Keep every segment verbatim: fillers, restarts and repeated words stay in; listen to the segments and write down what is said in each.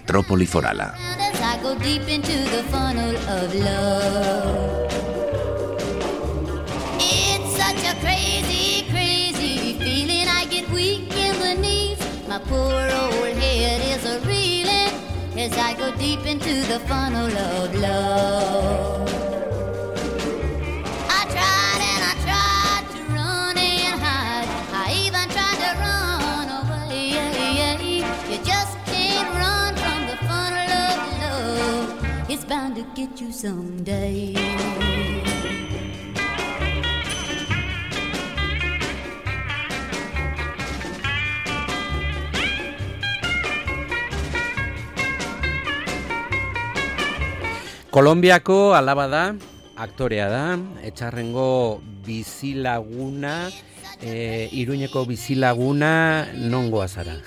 Metrópoli Forala. My poor old head is a reeling as I go deep into the funnel of love. I tried and I tried to run and hide. I even tried to run away. You just can't run from the funnel of love. It's bound to get you someday. Kolonbiako alaba da, aktorea da, Etxarrengo bizilaguna, e, Iruñeko bizilaguna, nongoa zara?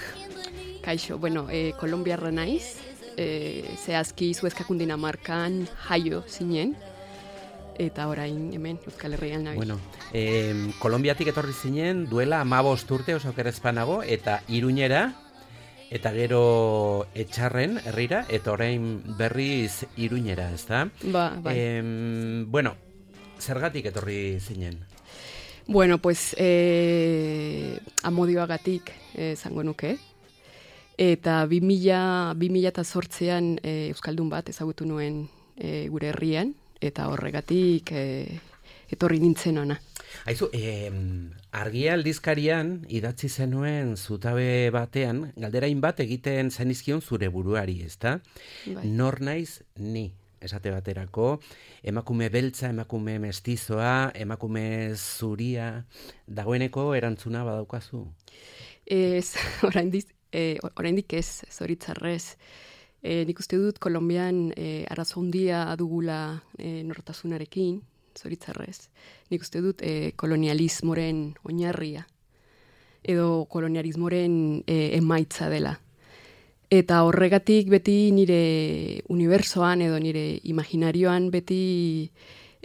Kaixo, bueno, e, kolonbiarra naiz, e, zehazki Zuezkakun Dinamarkan jaio zinen, eta orain hemen Euskal Herrian nabil. Bueno, e, Kolonbiatik etorri zinen duela hamabost urte oso okerrezpanago, eta Iruñera, eta gero Etxarren herrira, eta orain berriz Iruñera, ez da? Ba, bai. E, bueno, zergatik etorri zinen? Bueno, pues, eh, amodioagatik zango nuke. Eta bi mila eta zortzean eh, Euskaldun bat ezagutu nuen eh, gure herrian, eta horregatik eh, etorri nintzen ona. Aizu, eh, argia aldizkarian idatzi zenuen zutabe batean, galderain bat egiten zenizkion zure buruari, ezta? Bai. Nor naiz ni, esate baterako, emakume beltza, emakume mestizoa, emakume zuria, dagoeneko erantzuna badaukazu? Ez, oraindik, eh, oraindik ez, zoritzarrez. Eh, nik uste dut Kolonbian eh, arazo handia dugula eh, nortasunarekin, zoritzarrez. Nik uste dut eh, kolonialismoren oinarria edo kolonialismoren eh, emaitza dela. Eta horregatik beti nire unibersoan edo nire imaginarioan beti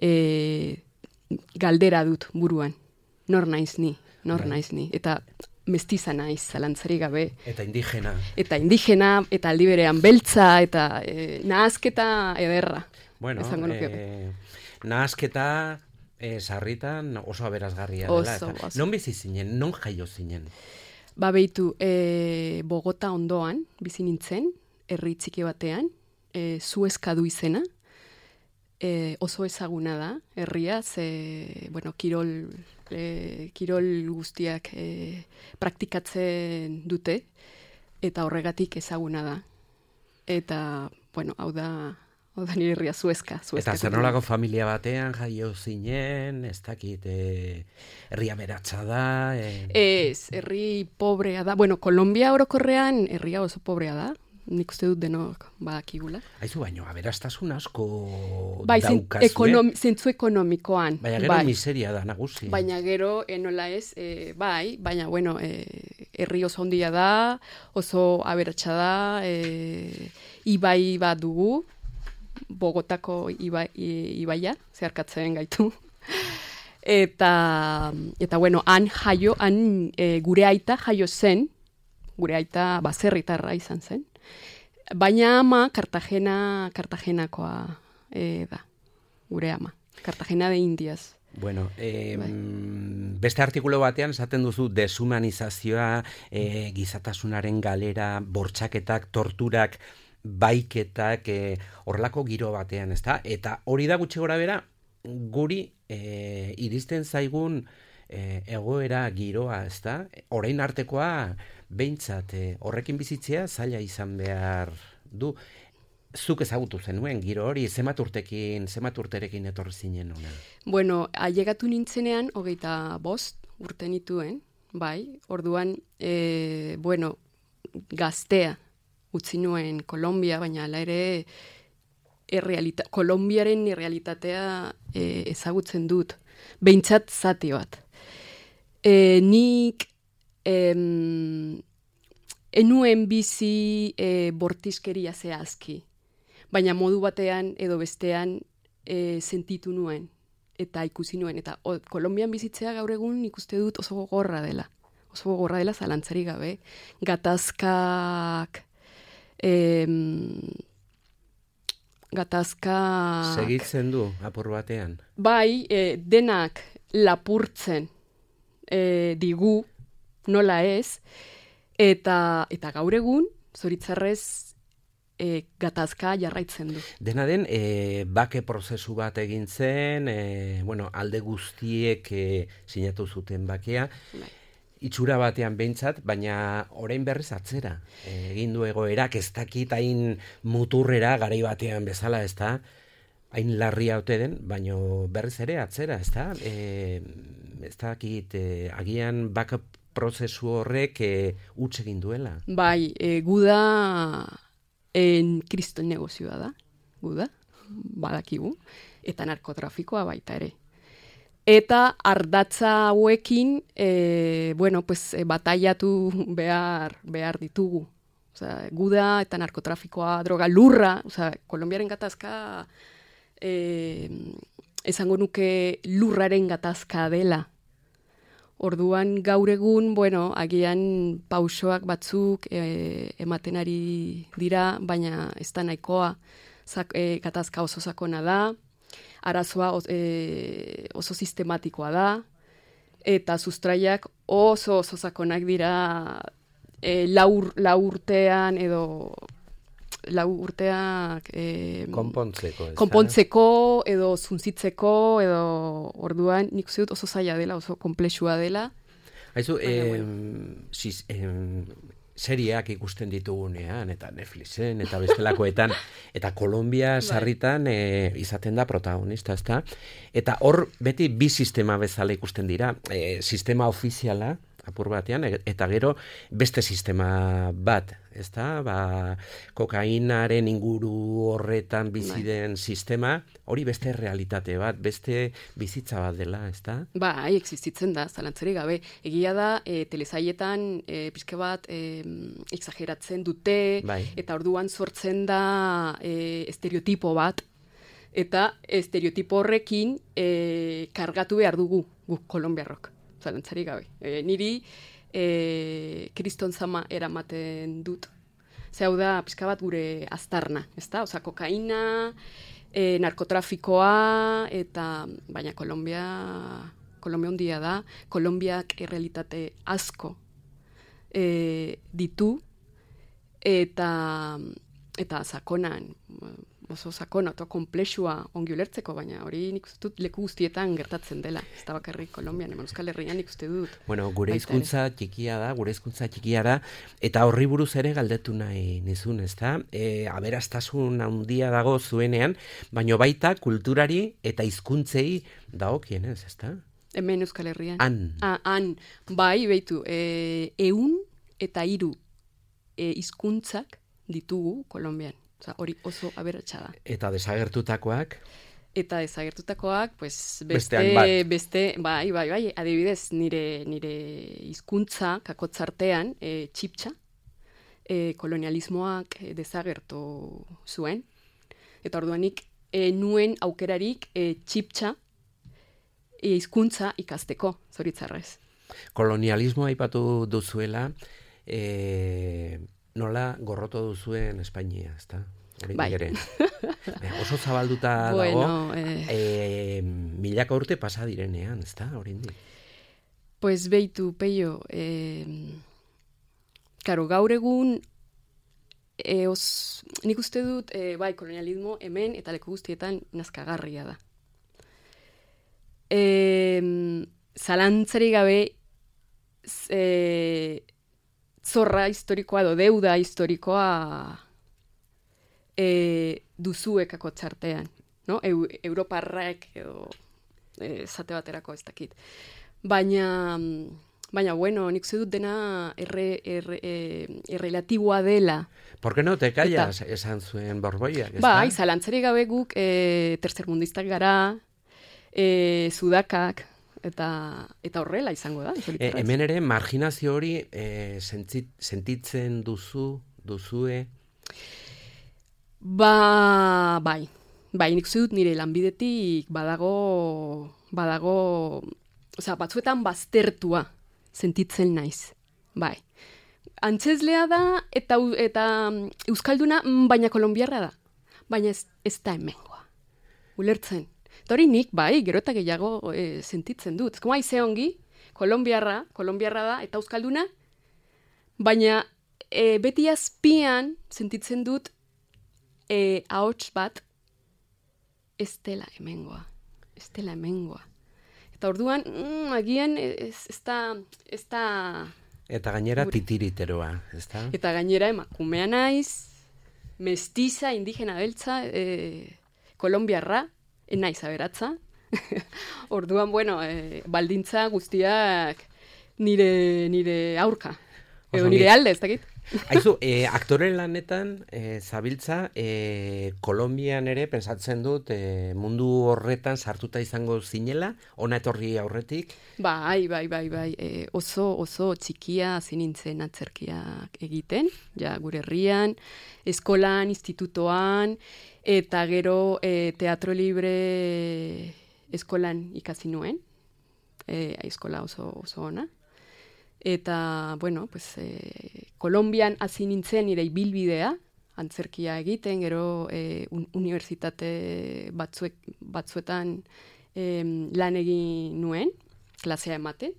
eh, galdera dut buruan. Nor naiz ni, nor Bai. naiz ni. Eta mestiza naiz, zalantzarik gabe. Eta indigena. Eta indigena, eta aldi berean beltza, eta eh, nahazketa ederra. Bueno, Esango nuke. eh, nahasketa eh, sarritan oso aberazgarria dela. Oso, Eta oso. non bizi zinen, non jaio zinen? Ba behitu, e, Bogota ondoan, bizi nintzen, herri txiki batean, e, Zuezkadu izena, e, oso ezaguna da, herria, ze, bueno, kirol, e, kirol guztiak e, praktikatzen dute, eta horregatik ezaguna da. Eta, bueno, hau da, hau da nire herria Zuezka. Eta zer nolako familia batean jaio zinen, ez dakit, eh, herria beratza da. Eh, Ez, herri pobrea da. Bueno, Kolombia orokorrean herria oso pobrea da. Nik uste dut denok badakigula. Aizu baino, aberastasun asko Bai, zen- daukazue. ekonom, zentzu ekonomikoan. Baina gero bai. miseria da nagusi. Baina gero, eh, nola ez, eh, bai, baina, bueno, eh, herri oso handia da, oso aberatsa da, eh, ibai bat dugu, Bogotako ibai, i- ibaia, zeharkatzen gaitu. Eta, eta bueno, han jaio, han e, gure aita jaio zen, gure aita baserritarra izan zen, baina ama Cartagena, Cartagenakoa e, da, gure ama, Cartagena de Indias. Bueno, eh, Bai. beste artikulu batean esaten duzu deshumanizazioa, eh, gizatasunaren galera, bortxaketak, torturak, baiketak, eh, horrelako giro batean, ezta? Eta hori da gutxi gora bera, guri eh, iristen zaigun eh, egoera giroa, ezta? Orain artekoa behintzat eh, horrekin bizitzea zaila izan behar du. Zuk ezagutu zenuen giro hori, zenbat urtekin, zenbat urterekin etorri zinen ona? Bueno, ailegatu nintzenean, hogeita bost urte nituen, bai, orduan, e, bueno, gaztea utzi nuen Kolombia, baina hala ere errealita, Kolombiaren errealitatea e, ezagutzen dut, behintzat zati bat. E, nik em, enuen bizi e, bortizkeria zehazki, baina modu batean edo bestean e, sentitu nuen eta ikusi nuen. Eta o, Kolombian bizitzea gaur egun ikuste dut oso gogorra dela. Oso gogorra dela zalantzarik gabe. Gatazkak, E, gatazka... Segitzen du, apur batean. Bai, e, denak lapurtzen e, digu, nola ez, eta, eta gaur egun, zoritzarrez, e, gatazka jarraitzen du. Dena den, e, bake prozesu bat egin zen, e, bueno, alde guztiek e, sinatu zuten bakea, Bai. itxura batean behintzat, baina orain berriz atzera. E, egin du egoerak ez dakit hain muturrera garai batean bezala, ez da? Hain larria ote den, baina berriz ere atzera, ez da? E, ez dakit, e, agian bake prozesu horrek e, huts egin duela. Bai, e, guda en kriston negozioa da, guda, badakigu, eta narkotrafikoa baita ere. Eta ardatza hauekin, e, bueno, pues, e, bataiatu behar, behar ditugu. Osea, guda eta narkotrafikoa, droga, lurra, osea, Kolonbiaren gatazka, e, esango nuke lurraren gatazka dela. Orduan gaur egun, bueno, agian pausoak batzuk e, ematen ari dira, baina ez da nahikoa. Zak, e, gatazka oso sakona da, arazoa e, oso sistematikoa da, eta sustraiak oso oso sakonak dira e, lau, lau urtean edo lau urteak e, konpontzeko, ez da? konpontzeko edo zunzitzeko edo orduan nik uste dut oso zaila dela, oso komplexua dela. Haizu, Baina, eh, bueno. sis, eh, seriak ikusten ditugunean, eta Netflixen, eta bestelakoetan, eta Kolombia sarritan eh, izaten da protagonista, ezta? Eta hor beti bi sistema bezala ikusten dira, eh, sistema ofiziala, apur batean, e- eta gero beste sistema bat, ezta? Ba, kokainaren inguru horretan bizi den sistema, hori beste realitate bat, beste bizitza bat dela, ezta? Bai, existitzen da, zalantzerik gabe. Egia da, e, telesaietan e, pixka bat e, exageratzen dute, Bai. eta orduan sortzen da e, estereotipo bat, eta estereotipo horrekin e, kargatu behar dugu guk kolombiarrok, zalantzerik gabe. E, niri e, kriston zama eramaten dut. Ze hau da, pixka bat gure aztarna, ezta? Osa, kokaina, e, narkotrafikoa, eta baina Kolombia, Kolombia ondia da, Kolombiak errealitate asko e, ditu, eta, eta sakonan, oso sakona, eta komplexua ongi ulertzeko, baina hori nik uste dut leku guztietan gertatzen dela, ez da bakarrik Kolombian, eman Euskal Herrian nik uste dut. Bueno, gure Baita hizkuntza txikia da, gure hizkuntza txikia da, eta horri buruz ere galdetu nahi nizun, ezta? E, aberastasun handia dago zuenean, baino baita kulturari eta hizkuntzei dagokienez, ezta? Hemen Euskal Herrian. Han. Ah, han, bai, behitu, e, eun eta hiru e, hizkuntzak ditugu Kolombian. Osa, hori oso aberatsa da. Eta desagertutakoak, Eta desagertutakoak, pues, beste, Bestean bat. beste, bai, bai, bai, adibidez, nire, nire hizkuntza kakotzartean, e, txiptxa, e, kolonialismoak e, desagertu zuen. Eta orduanik, e, nuen aukerarik e, txiptxa e, hizkuntza ikasteko, zoritzarrez. kolonialismoa aipatu duzuela, e, nola gorroto duzuen Espainia, ezta? Hori Bai. ere. E, oso zabalduta Bueno, dago, eh. e, milaka urte pasa direnean, ezta? Oraindik. Pues beitu, peio, eh, karo, gaur egun, e, os, nik uste dut, e, bai, kolonialismo hemen eta leku guztietan nazkagarria da. E, zalantzari gabe, z- e, zorra historikoa edo deuda historikoa e, duzuek akotzartean, no? Eu, Europarrek edo e, zate baterako ez dakit. Baina, baina bueno, nik uste dut dena erre, erre, e, errelatiboa dela. ¿Por qué no te callas? Esan zuen Borboiak, ezta? Bai, zalantzari gabe guk e, tertzermundistak gara, e, sudakak, eta eta horrela izango da. E, zoritzarrez. hemen ere marginazio hori e, sentzit, sentitzen duzu, duzue, Ba, bai, bai, nik uste dut nire lanbidetik badago, badago, osea, batzuetan baztertua sentitzen naiz, bai. antzeslea da eta eta euskalduna, baina kolonbiarra da. Baina ez, ez da hemengoa. Ulertzen. Eta hori nik, bai, gero eta gehiago e, sentitzen dut. Ez kuma aize ongi, kolonbiarra, kolonbiarra da, eta euskalduna, baina e, beti azpian sentitzen dut e, ahots bat ez dela hemengoa. Ez dela hemengoa. Eta orduan, mm, agian ez, ez da... Ez da eta gainera gure. titiriteroa, ez da? Eta gainera emakumea naiz, mestiza, indigena beltza, e, kolombiarra, naiz aberatza. Orduan, bueno, e, baldintza guztiak nire, nire aurka. Edo Oso nire ongi. alde, ez dakit. Aizu, e, aktore lanetan e, zabiltza, e, Kolonbian ere pensatzen dut e, mundu horretan sartuta izango zinela, ona etorri aurretik. Bai, bai, bai, bai. E, oso, oso txikia hasi nintzen atzerkiak egiten, ja gure herrian, eskolan, institutoan, eta gero e, Teatro Libre eskolan ikasi nuen, e, eskola oso, oso ona. Eta, bueno, pues, e, Kolonbian hasi nintzen nire ibilbidea, antzerkia egiten, gero e, un, unibertsitate batzuek, batzuetan e, lan egin nuen, klasea ematen,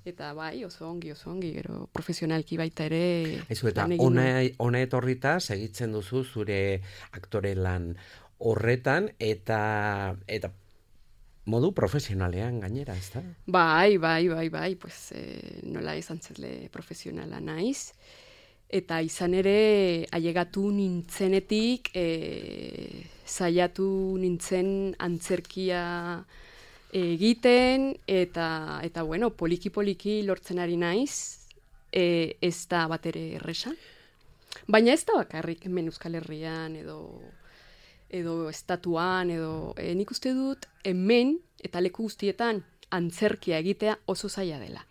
eta bai, oso ongi, oso ongi, gero profesionalki baita ere Aizu, eta lan egin ona, nuen. ona etorrita segitzen duzu zure aktore lan horretan, eta eta modu profesionalean gainera, ez da? Bai, bai, bai, bai, pues, eh, nola izan zele profesionala naiz. Eta izan ere, ailegatu nintzenetik, eh, saiatu nintzen antzerkia egiten, eta, eta bueno, poliki-poliki lortzen ari naiz, eh, ez da bat ere erresa. Baina ez da bakarrik hemen Euskal Herrian, edo edo estatuan, edo e, nik uste dut hemen eta leku guztietan antzerkia egitea oso zaila dela.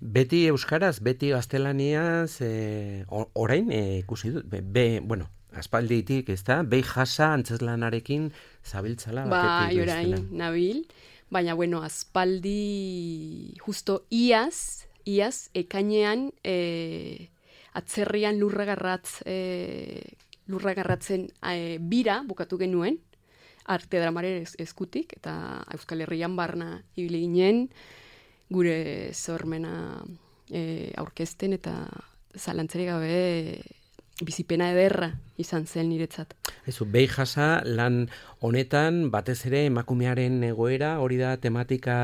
Beti euskaraz, beti gaztelaniaz, e, orain e, ikusi dut, be, be, bueno, aspalditik, ez da, behi jasa antzeslanarekin zabiltzala. Bai, orain, nabil, baina, bueno, aspaldi justo iaz, iaz, ekainean e, atzerrian lurragarratz e, lurragarratzen e, bira bukatu genuen, arte dramaren eskutik, eta Euskal Herrian barna ibili ginen, gure sormena e, aurkezten, eta zalantzarik gabe bizipena ederra izan zen niretzat. Ezu, behi jasa lan honetan batez ere emakumearen egoera, hori da tematika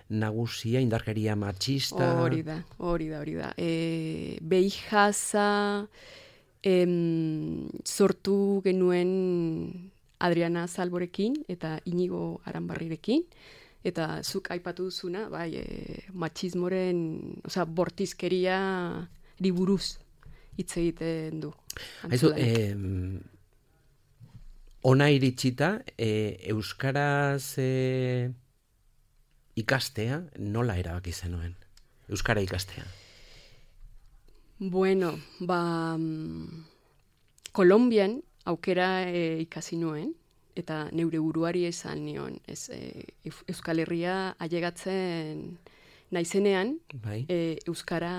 nagusia, indarkeria matxista. Hori da, hori da, hori da. E, behi jasa em, sortu genuen Adriana Salborekin eta Inigo Aranbarrirekin, eta zuk aipatu duzuna, bai, e, matxismoren, osea, bortizkeria buruz hitz egiten du. Haizu, eh, ona iritsita, eh, euskaraz eh, ikastea, nola erabaki zenuen? Euskara ikastea. Bueno, ba, Kolonbian aukera e, ikasi nuen, eta neure buruari esan nion, ez, e, Euskal Herria ailegatzen naizenean, Bai. e, euskara,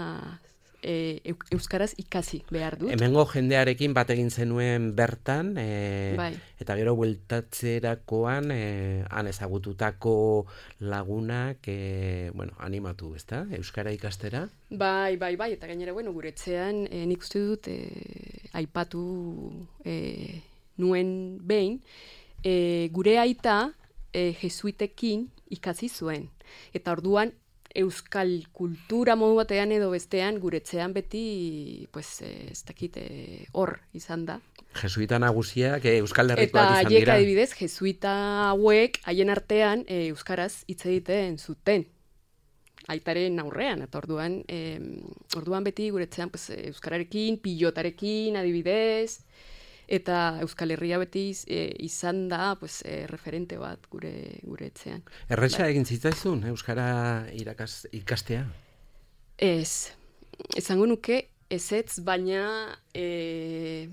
e, euskaraz ikasi behar dut. Hemengo jendearekin bat egin zenuen bertan, e, Bai. eta gero bueltatzerakoan e, han ezagututako lagunak e, bueno, animatu, ezta? Euskara ikastera? Bai, bai, bai, eta gainera, bueno, gure etxean e, nik uste dut e, aipatu e, nuen behin, e, gure aita e, jesuitekin ikasi zuen. Eta orduan, euskal kultura modu batean edo bestean guretzean beti, pues, ez dakit, hor izan da. Jesuita nagusiak e, Euskal Herrikoak eta izan haiek dira. adibidez, jesuita hauek haien artean e, euskaraz hitz egiten zuten. Aitaren aurrean, eta orduan, e, orduan beti guretzean, pues, euskararekin, pilotarekin adibidez, eta Euskal Herria beti e, izan da, pues, e, referente bat gure gure etxean. Erresa Bai. egin zitzaizun Euskara irakas, ikastea? Ez, esango nuke ezetz, baina e,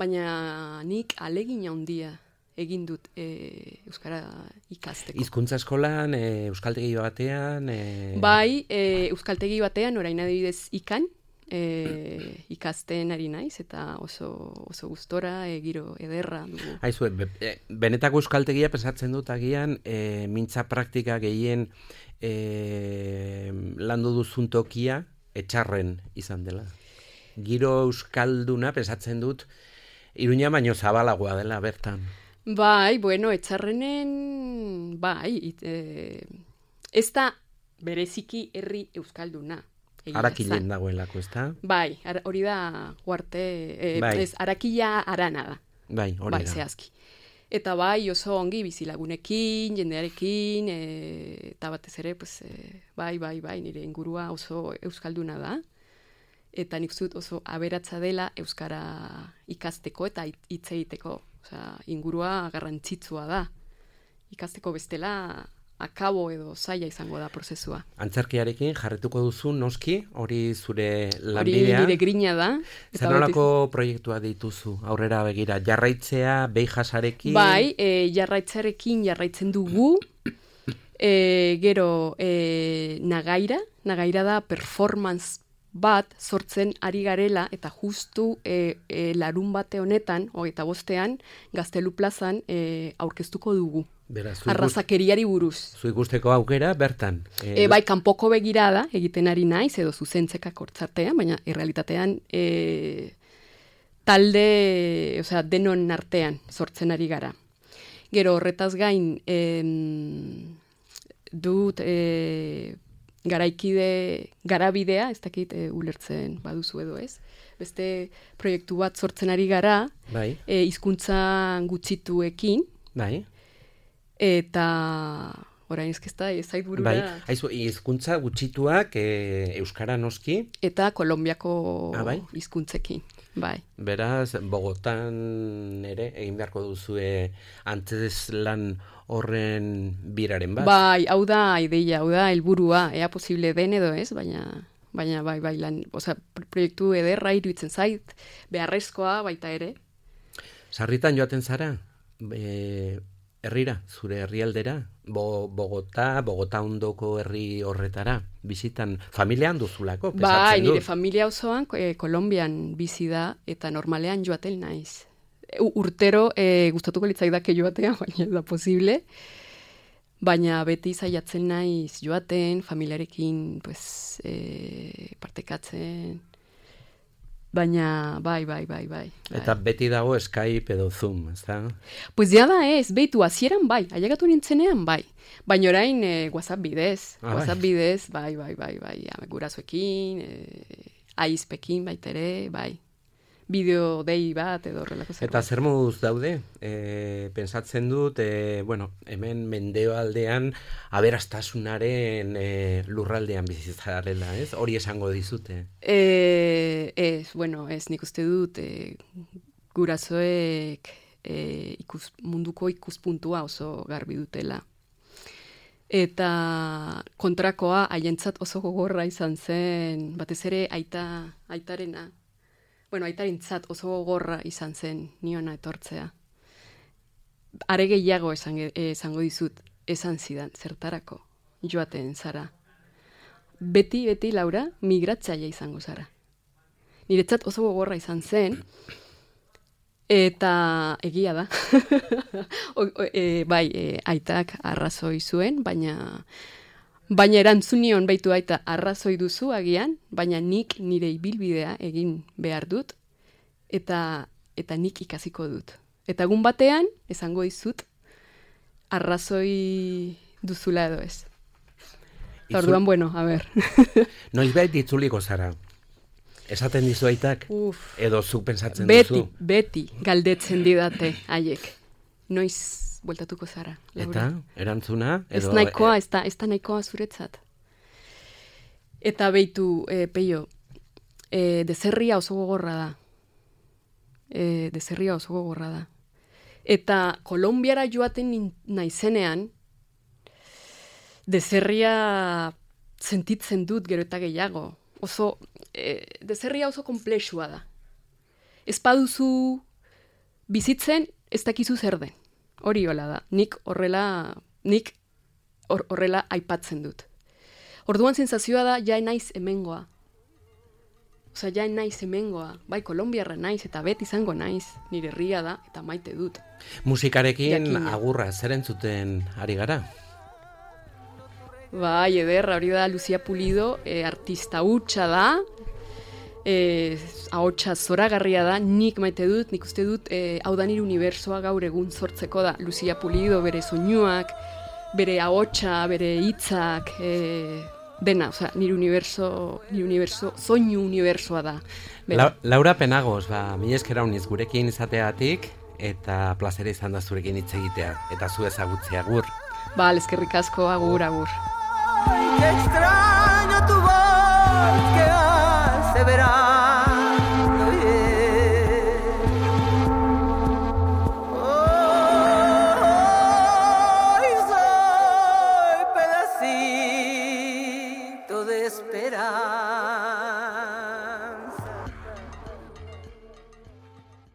baina nik alegin handia egin dut e, euskara ikasteko. Hizkuntza eskolan, e, euskaltegi batean... E... Bai, e, euskaltegi batean, orain adibidez ikan, e, ikasten ari naiz, eta oso, oso gustora, e, giro ederra dugu. Aizu, be, be, benetako euskaltegia pesatzen dut agian, e, mintza praktika gehien e, landu duzun tokia etxarren izan dela. Giro euskalduna pesatzen dut, Iruña baino zabalagoa dela bertan. Bai, bueno, etxarrenen, bai, it, e, ez da bereziki herri euskalduna. Arakilen dagoelako, ez da? Bai, ara, hori da guarte, e, bai. ez, arakila arana da. Bai, hori bai, da. Zehazki. Eta bai, oso ongi bizilagunekin, jendearekin, e, eta batez ere, pues, e, bai, bai, bai, nire ingurua oso euskalduna da. Eta nik zut oso aberatsa dela euskara ikasteko eta hitz egiteko. Osea, ingurua garrantzitsua da. Ikasteko bestela akabo edo zaila izango da prozesua. Antzerkiarekin jarretuko duzu noski, hori zure Hori lanbidea. nire grina da. Eta Zer nolako proiektua dituzu aurrera begira? Jarraitzea, beijasarekin? Bai, e, jarraitzarekin jarraitzen dugu. E, gero, e, nagaira. Nagaira da performance bat sortzen ari garela, eta justu e, e, larun bate honetan, hogeita bostean, Gaztelu plazan e, aurkeztuko dugu. Beraz, zu Arrazakeriari buruz. Zu ikusteko aukera bertan. E, bai, kanpoko begirada egiten ari naiz, edo zuzentzekak hortzartean, baina errealitatean e, talde, osea, denon artean sortzen ari gara. Gero horretaz gain, em, dut e, garaikide, garabidea, ez dakit e, ulertzen baduzu edo ez, beste proiektu bat sortzen ari gara, bai. e, hizkuntza gutxituekin, Bai. eta orain ezkezta ezait burura. Bai. Aizu, hizkuntza gutxituak e, euskara noski. Eta Kolonbiako ah, bai? hizkuntzekin. Bai. Beraz, Bogotan ere egin beharko duzue antzeslan horren biraren bat. Bai, hau da ideia, hau da helburua, ea posible den edo ez, baina baina bai, bai, lan, osea, proiektu ederra iruditzen zait, beharrezkoa baita ere. Sarritan joaten zara? E, herrira, zure herrialdera? Bo, Bogota, Bogota ondoko herri horretara, bizitan, familian duzulako, pesatzen Bai, dut. nire familia osoan e, Kolonbian bizi da, eta normalean joaten naiz. U, urtero e, gustatuko litzaidake joatea, baina ez da posible. Baina beti saiatzen naiz joaten, familiarekin pues, e, partekatzen. Baina bai, bai, bai, bai. Eta beti dago Skype edo Zoom, ez da? Pues ja da ez, behitu, hasieran bai, ailegatu nintzenean bai. Baina orain e, WhatsApp bidez, ah, WhatsApp bai. bidez, bai, bai, bai, bai, ja, gurasoekin, e, aizpekin baita ere, bai. Bideo dei bat edo horrelako zerbait. Eta zer moduz daude? E, pensatzen dut, e, bueno, hemen mendebaldean aberastasunaren e, lurraldean bizitzarela, ez? Hori esango dizute. E, ez, bueno, ez nik uste dut e, gurasoek e, ikus, munduko ikuspuntua oso garbi dutela. Eta kontrakoa haientzat oso gogorra izan zen, batez ere aita, aitarena. Bueno, aitarintzat oso gogorra izan zen niona etortzea. Are gehiago esan, esango dizut, esan zidan, zertarako joaten zara. Beti, beti, Laura, migratzaile izango zara. Niretzat oso gogorra izan zen, eta egia da. o, o, e, bai, e, aitak arrazoi zuen, baina... Baina erantzunion baitu aita arrazoi duzu agian, baina nik nire ibilbidea egin behar dut, eta eta nik ikasiko dut. Eta egun batean, esango dizut, arrazoi duzula edo ez. Eta orduan, bueno, a ber. Noizbait ditzuliko zara? Esaten dizu aitak? Uf. Edo zu pensatzen beti, duzu? Beti, galdetzen didate haiek. Noiz bueltatuko zara. Laura. Eta, erantzuna? Ez Edo, nahikoa, ez da, ez da nahikoa zuretzat. Eta beitu, e, peio, e, dezerria oso gogorra da. E, dezerria oso gogorra da. Eta Kolonbiara joaten naizenean, dezerria sentitzen dut gero eta gehiago. Oso, e, dezerria oso komplexua da. Ez baduzu bizitzen, ez dakizu zer den. Hori hola da. Nik horrela, nik hor, horrela aipatzen dut. Orduan sentsazioa da, ja naiz hemengoa. Osa, ja naiz hemengoa, bai, kolombiarra naiz, eta beti izango naiz, nire herria da, eta maite dut. Musikarekin Jakina. agurra, zer entzuten ari gara? Bai, ederra, hori da Lucia Pulido, e, artista hutsa da, e, ahotsa zoragarria da, nik maite dut, nik uste dut, e, hau da nire unibersoa gaur egun sortzeko da. Lucia Pulido, bere soinuak, bere ahotsa, bere hitzak, e, dena, oza, nire uniberso, nire uniberso, soinu unibersoa da. La, Laura Penagos, ba, mila esker uniz gurekin izateatik, eta plazera izan da zurekin hitz egitea, eta zu ezagutzea agur. Ba, eskerrik asko, agur, agur. Ay, qué extraño tu voz que hace verano.